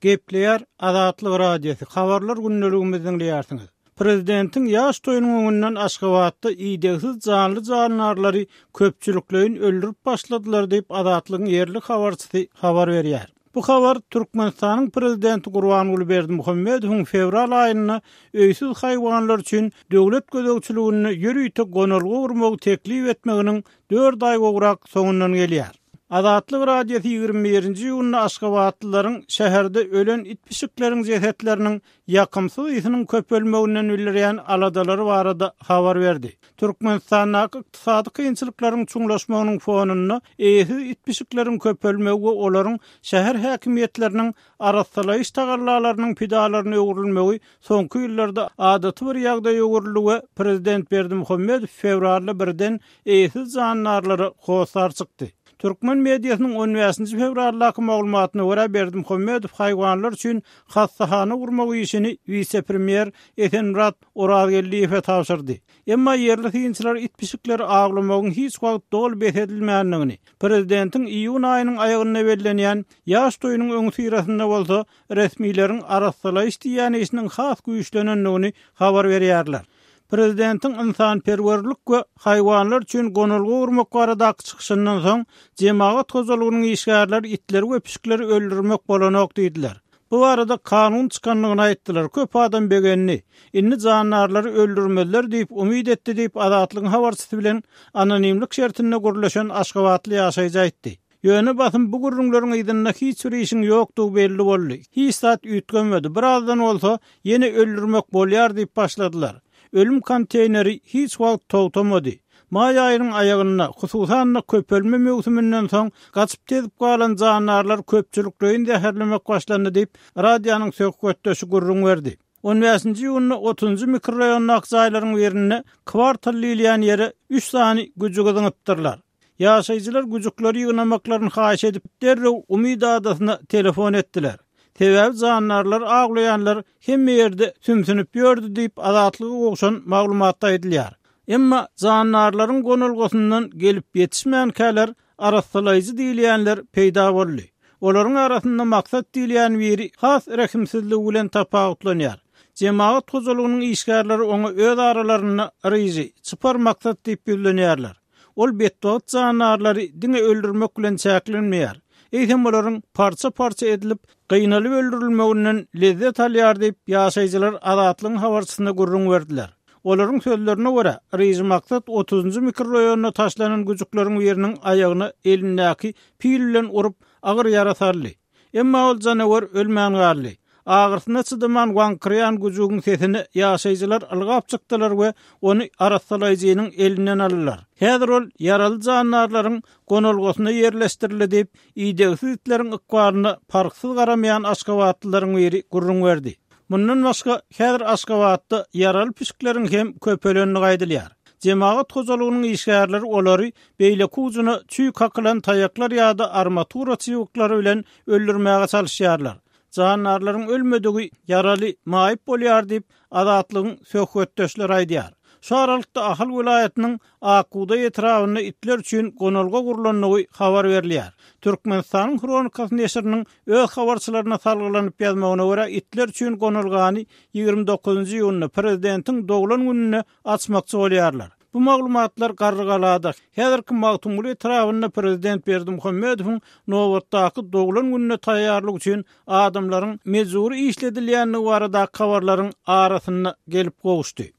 Gepleýär Azatlyk Radiosy, Habarlar gündeligimizi diňleýärsiňiz. Prezidentiň ýaş toýunyň öňünden Aşgabatda idegsiz janly-jandarlary köpçülikleýin öldürip başladylar diýip, Azatlygyň ýerli habarçysy habar berýär. Bu habar Türkmenistanyň Prezidenti Gurbanguly Berdimuhamedowyň fewral aýynda öýsüz haýwanlar üçin döwlet gözegçiliginde ýörite gonalga gurmagy teklip etmeginiň dört aý gowrak soňundan gelýär. Azatlyk Radiosy 21-nji iýunda aşgabatlylaryň şäherde ölen it-pişikleriň jesetleriniň ýakymsyz ysynyň köpelmeginden bildirýän aladalary barada habar berdi. Türkmenistandaky ykdysady kynçylyklaryň çuňlaşmagynyň fonunda eýesiz it-pişikleriň köpelmegi we olaryň şäher häkimiýetleriniň arassalaýyş tagallalarynyň pidalaryna öwrülmegi soňky ýyllarda adaty bir ýagdaýa öwrüldi we prezident Berdimuhamedow fewralda birden eýesiz jandarlara hossar çykdy. Türkmen mediasynyň on bäşinji fewraldaky maglumatyna görä, Berdimuhamedow haýwanlar üçin hassahana gurmak işini wise-premýer Esenmyrat Orazgeldiýewe tabşyrdy. Emma ýerli synçylar it-pişikleri awlamagyň hiç wagt doly bes edilmändigini, prezidentiň iýun aýynyň aýagynda bellenýän ýaş toýunyň öňüsyrasynda bolsa resmileriň arassalaýyş diýýän işiniň has güýçlenendigini habar berýärler. Prezidentiň ynsanperwerlik we haýwanlar üçin gonalga gurmak baradaky çykyşyndan soň, jemagat hojalygynyň işgärleri itleri we pişikleri öldürmek bolanok diýdiler. Bu barada kanun çykandygyny aýtdylar. Köp adam begendi. Indi jandarlary öldürmezler diýip umyt etdi diýip, Azatlygyň habarçysy bilen anonimlik şertinde gürleşen aşgabatly ýaşaýjy aýtdy. Ýöne basym bu gürrüňleriň yzynda hiç bir işiň ýokdugy belli boldy. Hiç zat üýtgemedi. Birazdan bolsa, ýene öldürmek bolýar diýip başladylar. Ölüm konteýneri hiç wagt togtamady. Maý aýynyň aýagynda, hususan-da köpelme möwsüminden soň gaçyp-tezip galan jandarlar köpçülikleýin zäherlemek başlandy diýip, radionyň söhbetdeşi gürrüň berdi. On bäşinji iýunda otuzynjy mikroraýondaky jaýlaryň birinde kwartal diýilýän ýere üç sany güjügi zyňypdyrlar. Ýaşaýjylar güjükleri ýygnamaklaryny haýyş edip, derrew Umyt adasyna telefon etdiler. Sebäbi jandarlary awlaýanlar hemme ýerde sümsünip ýördi diýip, Azatlyga gowşan maglumatda aýdylýar. Emma jandarlaryň gonalgasyndan gelip ýetişmänkäler arassalaýjy diýilýänler peýda boldy. Olaryň arasynda Maksat diýilýän biri has rehimsizligi bilen tapawutlanýar. Jemagat hojalygynyň işgärleri oňa öz aralarynda Ryžy, çypar Maksat diýip ýüzlenýärler. Ol betbagt jandarlary diňe öldürmek bilen çäklenmeýär, eýsem olaryň parça-parça edilip, gynalyp öldürilmeginden lezzet alýar diýip, ýaşaýjylar Azatlygyň habarçysyna gürrüň berdiler. Olaryň sözlerine görä, Ryžy Maksat otuzynjy mikroraýonda taşlanan güjükleriň biriniň aýagyna elindäki pil bilen urup, agyr ýara saldy. Emma ol janawer ölmän galdy. Agyrysyna çydaman waňkyraýan güjügiň sesine ýaşaýjylar ylgap çykdylar we ony arassalaýjynyň elinden aldylar. Häzir ol ýaraly jandarlaryň gonalgasyna ýerleşdirildi diýip, idegsiz itleriň ykbalyna parhsyz garamaýan aşgabatlylaryň biri gürrüň berdi. Mundan başga, häzir Aşgabatda ýaraly pişikleriň hem köpelendigi aýdylýar. Jemagat hojalygynyň işgärleri olary beýleki ujuna çüý kakylan taýaklar ýa-da armatura çybyklary bilen öldürmäge çalyşýarlar. Jandarlaryň ölmedigi ýaraly, maýyp bolýar diýip, Azatlygyň söhbetdeşleri aýdýar. Şu aralykda Ahal welaýatynyň Ak bugdaý etrabynda itler üçin gonalga gurlandygy habar berilýär. Türkmenistanyň Hronikasy neşiriniň öz habarçylaryna salgylanyp ýazmagyna görä, itler üçin gonalgany 29-njy iýunda, prezidentiň doglan gününde açmakçy bolýarlar. Bu maglumatlar Garrygalada, häzirki Magtymguly etrabynda prezident Berdimuhamedowyň nobatdaky doglan gününe taýýarlyk üçin adamlaryň mejbury işledilýändigi baradaky habarlaryň arasynda gelip gowuşdy.